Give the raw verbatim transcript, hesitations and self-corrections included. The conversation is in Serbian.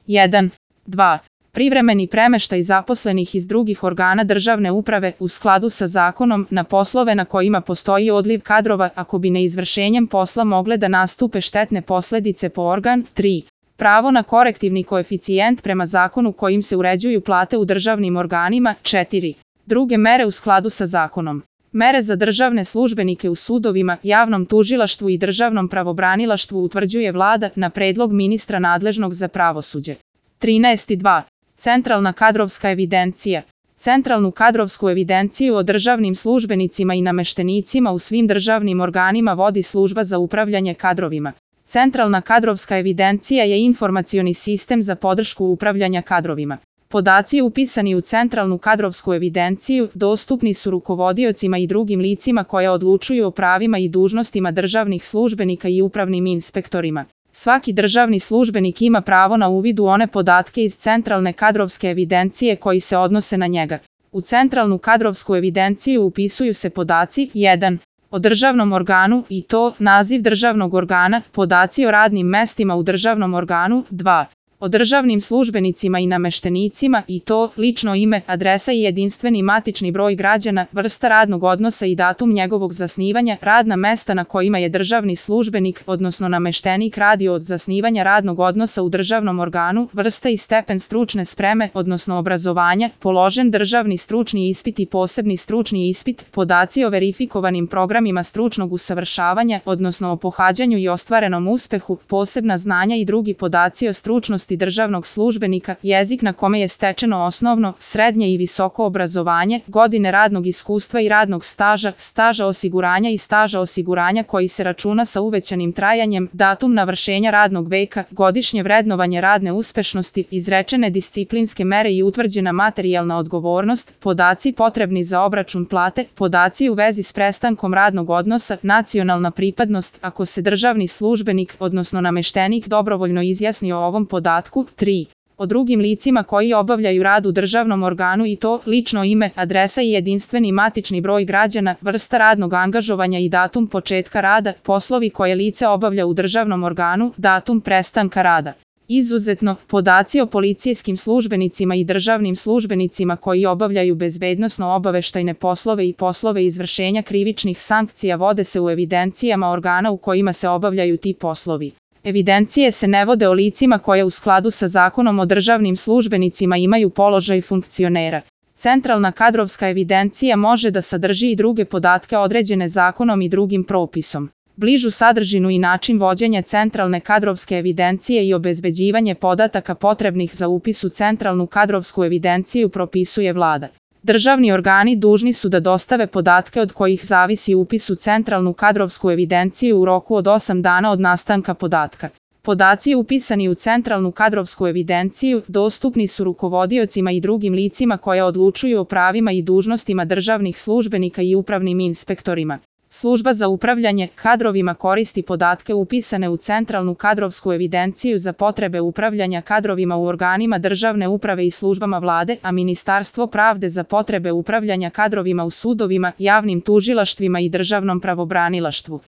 jedan. dva. Privremeni premeštaj zaposlenih iz drugih organa državne uprave u skladu sa zakonom na poslove na kojima postoji odliv kadrova ako bi neizvršenjem posla mogle da nastupe štetne posledice po organ. tri. Pravo na korektivni koeficijent prema zakonu kojim se uređuju plate u državnim organima. četiri. Druge mere u skladu sa zakonom. Mere za državne službenike u sudovima, javnom tužilaštvu i državnom pravobranilaštvu utvrđuje Vlada na predlog ministra nadležnog za pravosuđe. trinaest. dva. Centralna kadrovska evidencija. Centralnu kadrovsku evidenciju o državnim službenicima i nameštenicima u svim državnim organima vodi Služba za upravljanje kadrovima. Centralna kadrovska evidencija je informacioni sistem za podršku upravljanja kadrovima. Podaci upisani u Centralnu kadrovsku evidenciju dostupni su rukovodiocima i drugim licima koja odlučuju o pravima i dužnostima državnih službenika i upravnim inspektorima. Svaki državni službenik ima pravo na uvid u one podatke iz Centralne kadrovske evidencije koji se odnose na njega. U Centralnu kadrovsku evidenciju upisuju se podaci jedan. O državnom organu i to naziv državnog organa, podaci o radnim mestima u državnom organu. dva. O državnim službenicima i nameštenicima i to lično ime, adresa i jedinstveni matični broj građana, vrsta radnog odnosa i datum njegovog zasnivanja, radna mesta na kojima je državni službenik, odnosno nameštenik radio od zasnivanja radnog odnosa u državnom organu, vrsta i stepen stručne spreme, odnosno obrazovanja, položen državni stručni ispit i posebni stručni ispit, podaci o verifikovanim programima stručnog usavršavanja, odnosno o pohađanju i ostvarenom uspehu, posebna znanja i drugi podaci o stručnosti državnog službenika, jezik na kome je stečeno osnovno, srednje i visoko obrazovanje, godine radnog iskustva i radnog staža, staža osiguranja i staža osiguranja koji se računa sa uvećanim trajanjem, datum navršenja radnog veka, godišnje vrednovanje radne uspešnosti, izrečene disciplinske mere i utvrđena materijalna odgovornost, podaci potrebni za obračun plate, podaci u vezi s prestankom radnog odnosa, nacionalna pripadnost, ako se državni službenik, odnosno nameštenik dobrovoljno izjasni o ovom podatku. tri. O drugim licima koji obavljaju rad u državnom organu i to lično ime, adresa i jedinstveni matični broj građana, vrsta radnog angažovanja i datum početka rada, poslovi koje lice obavlja u državnom organu, datum prestanka rada. Izuzetno, podaci o policijskim službenicima i državnim službenicima koji obavljaju bezbednosno-obaveštajne poslove i poslove izvršenja krivičnih sankcija vode se u evidencijama organa u kojima se obavljaju ti poslovi. Evidencije se ne vode o licima koje u skladu sa Zakonom o državnim službenicima imaju položaj funkcionera. Centralna kadrovska evidencija može da sadrži i druge podatke određene zakonom i drugim propisom. Bližu sadržinu i način vođenja Centralne kadrovske evidencije i obezbeđivanje podataka potrebnih za upis u Centralnu kadrovsku evidenciju propisuje Vlada. Državni organi dužni su da dostave podatke od kojih zavisi upis u Centralnu kadrovsku evidenciju u roku od osam dana od nastanka podatka. Podaci upisani u Centralnu kadrovsku evidenciju dostupni su rukovodiocima i drugim licima koja odlučuju o pravima i dužnostima državnih službenika i upravnim inspektorima. Služba za upravljanje kadrovima koristi podatke upisane u Centralnu kadrovsku evidenciju za potrebe upravljanja kadrovima u organima državne uprave i službama Vlade, a Ministarstvo pravde za potrebe upravljanja kadrovima u sudovima, javnim tužilaštvima i državnom pravobranilaštvu.